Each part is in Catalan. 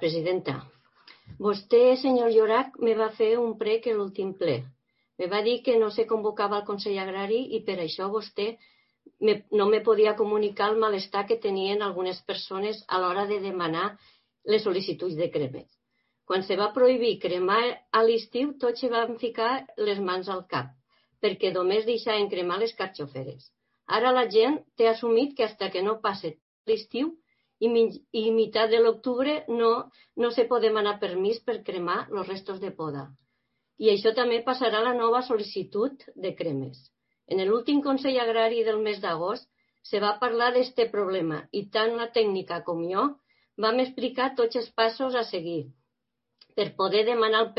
Presidenta. Vostè, senyor Llorach, me va fer un prec a l'últim ple. Me va dir que no se convocava el Consell Agrari i per això vostè no me podia comunicar el malestar que tenien algunes persones a l'hora de demanar les sol·licituds de cremes. Quan se va prohibir cremar a l'estiu, tots se van ficar les mans al cap, perquè només deixaven cremar les carxoferes. Ara la gent té assumit que fins que no passe l'estiu i meitat de l'octubre no se pot demanar permís per cremar els restos de poda. I això també passarà a la nova sol·licitud de cremes. En l'últim Consell Agrari del mes d'agost se va parlar d'aquest problema i tant la tècnica com jo vam explicar tots els passos a seguir per poder demanar els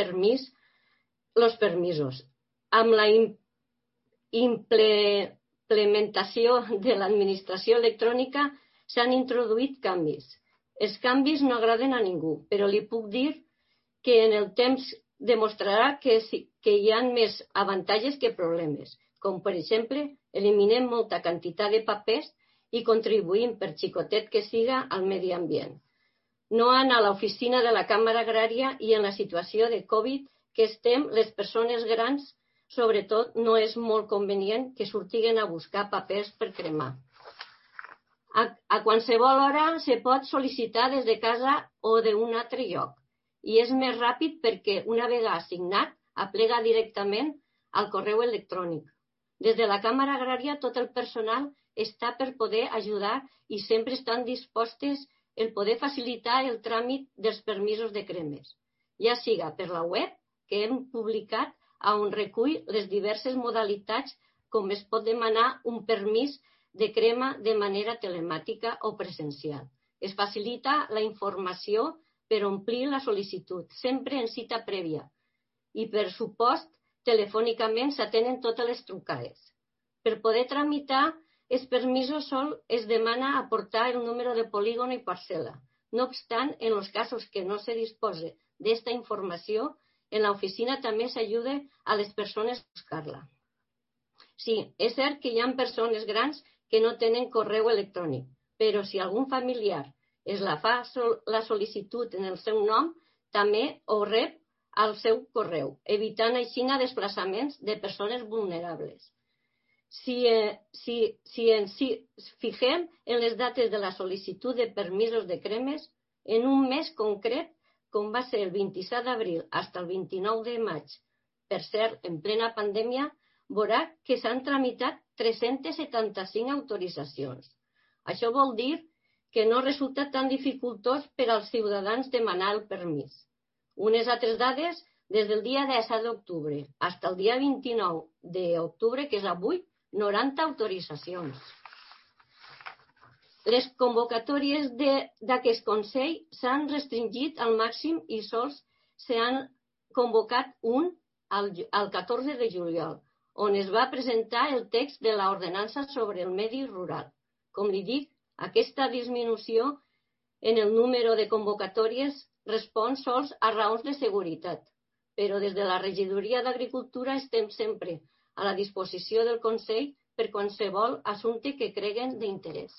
permisos. Amb la implementació de l'administració electrònica s'han introduït canvis. Els canvis no agraden a ningú, però li puc dir que en el temps demostrarà que hi ha més avantatges que problemes, com per exemple eliminem molta quantitat de papers i contribuïm, per xicotet que siga, al medi ambient. No anar a l'oficina de la Càmera Agrària i en la situació de Covid que estem, les persones grans, sobretot, no és molt convenient que sortiguen a buscar papers per cremar. A qualsevol hora se pot sol·licitar des de casa o d'un altre lloc i és més ràpid perquè una vegada assignat aplega directament al correu electrònic. Des de la Càmera Agrària tot el personal està per poder ajudar i sempre estan dispostes el poder facilitar el tràmit dels permisos de cremes, ja siga per la web que hem publicat on recull les diverses modalitats com es pot demanar un permís de crema de manera telemàtica o presencial. Es facilita la informació per omplir la sol·licitud, sempre en cita prèvia, i per supost, telefònicament s'atenen totes les trucades. Per poder tramitar els permisos sol es demana aportar el número de polígon i parcel·la. No obstant, en els casos que no se dispose d'esta informació, en l'oficina també s'ajuda a les persones a buscar-la. Sí, és cert que hi ha persones grans que no tenen correu electrònic, però si algun familiar es la fa la sol·licitud en el seu nom, també ho rep al seu correu, evitant així desplaçaments de persones vulnerables. Si ens fixem en les dates de la sol·licitud de permisos de cremes, en un mes concret, com va ser el 27 d'abril fins al 29 de maig, per cert, en plena pandèmia, veurà que s'han tramitat 375 autoritzacions. Això vol dir que no resulta tan dificultós per als ciutadans demanar el permís. Unes altres dades, des del dia 17 d'octubre fins al dia 29 d'octubre, que és avui, 90 autoritzacions. Les convocatòries d'aquest Consell s'han restringit al màxim i sols s'han convocat un el 14 de juliol, on es va presentar el text de l'ordenança sobre el medi rural. Com li dic, aquesta disminució en el número de convocatòries respon sols a raons de seguretat, però des de la Regidoria d'Agricultura estem sempre a la disposició del Consell per qualsevol assumpte que creguen d'interès.